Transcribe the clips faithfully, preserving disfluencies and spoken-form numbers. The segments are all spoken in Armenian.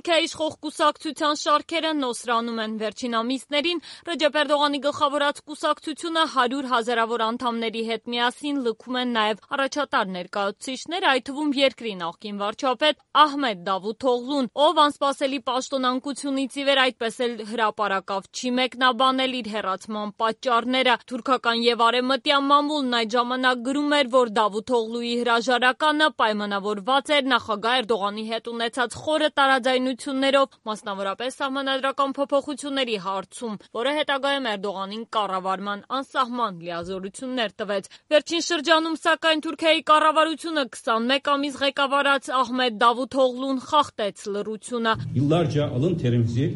Թուրքիայի իշխող կուսակցության շարքերը նոսրանում են։ Վերջին ամիսներին Ռեջեփ Էրդողանի գլխավորած կուսակցությունը հարյուր հազարավոր անդամների հետ միասին լքում են նաև առաջատար ներկայացուցիչներ, այդ թվում երկրի նախկին վարչապետ Ահմեդ Դավութօղլուն, ով անսպասելի պաշտոնանկությունից ի վեր այդպես էլ հրապարակավ չի մեկնաբանել իր հեռացման պատճառները։ Թուրքական և արևմտյան մամուլն այդ ժամանակ գրում էր, որ Դավութօղլուի հրաժարականը պայմանավորված էր նախագահ Էրդողանի հետ ունեցած խորը տարաձայնություններով, մասնավորապես սահմանադրական փոփոխությունների հարցում, որը հետագայում Էրդողանին կառավարման անսահման լիազորություններ տվեց։ Վերջին շրջանում, սակայն, Թուրքիայի կառավարությունը քսանմեկ ամիս ղեկավարած Ահմեդ Դավութօղլուն խախտեց լռությունը։ Yıllarca alın terimizi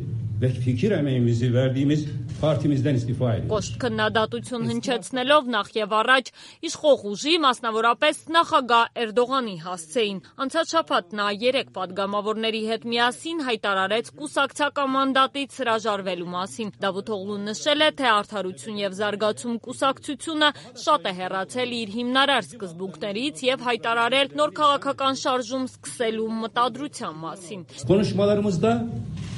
ve fikir emeğimizi verdiğimiz partimizden istifa ediyoruz. Կոշտ քննադատություն հնչեցնելով նախ եւ առաջ իշխող ուժի, մասնավորապես նախագահ Էրդողանի հասցեին։ Անցած շաբաթ նա երեք պատգամավորների հետ միասին հայտարարեց կուսակցական մանդատից հրաժարվելու մասին։ Դավութօղլուն նշել է, թե Արդարություն եւ զարգացում կուսակցությունը շատ է հեռացել իր հիմնարար սկզբունքներից եւ հայտարարել նոր քաղաքական շարժում սկսելու մտադրության մասին։ Konuşmalarımızda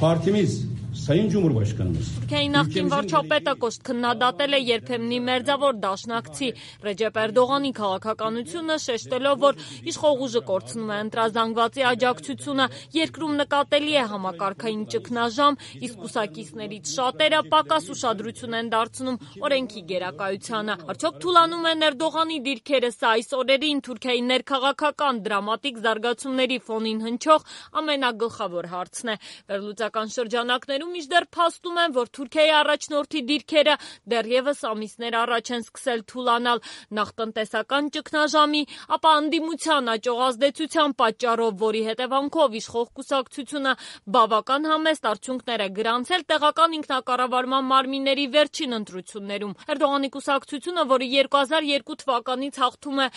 partimiz Sayın Cumhurbaşkanımız Թուրքիայի նախկին վարչապետը կոշտ քննադատել է երբեմնի մերձավոր դաշնակցի Ռեջեփ Էրդողանի քաղաքականությունը, շեշտելով, որ իշխող ուժը կորցնում է ընտրազանգվածի աջակցությունը, երկրում նկատելի է համակարգային ճգնաժամ, իսկ կուսակիցներից շատերը պակաս ուշադրություն են դարձնում օրենքի գերակայությանը։ Արդյոք թուլանում են Էրդողանի դիրքերը, սա այս օրերին Թուրքիայի ներքաղաքական դրամատիկ զարգացումների ֆոնին հնչող ամենագլխավոր հարցն է։ Վերլուծական շրջանակներում մինչդեռ փաստում են, որ Թուրքիայի առաջնորդի դիրքերը դեռևս ամիսներ առաջ են սկսել թուլանալ նախ տնտեսական ճգնաժամի, ապա անդիմության աճող ազդեցության պատճառով, որի հետևանքով իշխող կուսակցությունը բավական համեստ արդյունքներ է գրանցել տեղական ինքնակառավարման մարմինների վերջին ընտրություններում։ Էրդողանի կուսակցությունը, որը երկու հազար երկու թվականից հաղթում է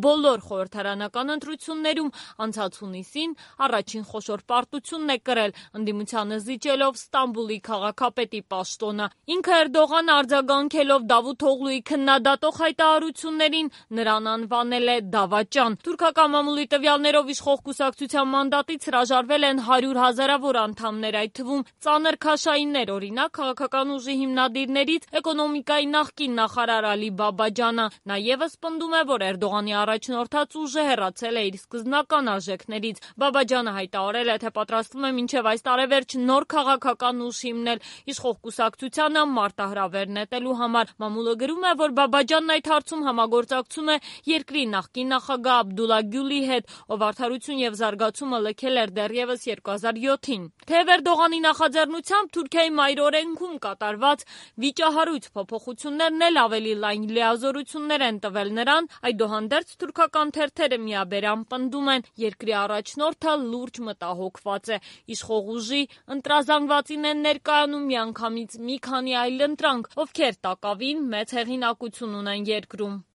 բոլոր խորհրդարանական ընտրություններում, անցած հունիսին առաջին խոշոր պարտությունն է կրել, ընդդիմությանը զիջելով Ստամբուլի քաղաքապետի պաշտոնը։ Ինքը Էրդողանը արձագանքելով Դավութօղլուի քննադատող հայտարարություններին նրան անվանել է դավաճան։ Թուրքական մամուլի տվյալներով իշխող կուսակցության մանդատից հրաժարվել են հարյուր հազարավոր անդամներ, այդ թվում ծանր քաշայիններ, օրինակ քաղաքական ուժի հիմնադիրներից էկոնոմիկայի նախկին նախարար Ալի Բաբաջանը։ Նա ևս պնդում է, որ Էրդողանի առաջնորդած ուժը հեռացել է իր սկզբնական արժեքներից։ Բաբաջանը հայտարարել է, թե պատրաստվում է մինչև այս տարեվերջ նոր քաղաքական ուժ հիմնել իշխող կուսակցությանը մարտահրավեր նետելու համար։ Մամուլը գրում է, որ Բաբաջանն այդ հարցում համագործակցում է երկրի նախկին նախագահ Աբդուլլա Գյուլի հետ, ով Արդարություն եւ զարգացումը լքել էր դեռևս երկու հազար յոթին։ Թեև Էրդողանի նախաձեռնությամբ Թուրքիայի մայրօրենքում կատարված վիճահարույց փոփոխություններն էլ ավելի լայն լիազորություններ են տվել նրան, այդուհանդերձ թուրքական թերթերը միաբերան պնդում են, երկրի առաջնորդը լուրջ մտահոգված է։ Իշխող ուժի ընտրազանգվածին են ներկայանում միանգամից մի քանի այլ ընտրանք, ովքեր տակավին մեծ հեղինակություն ունեն երկրում։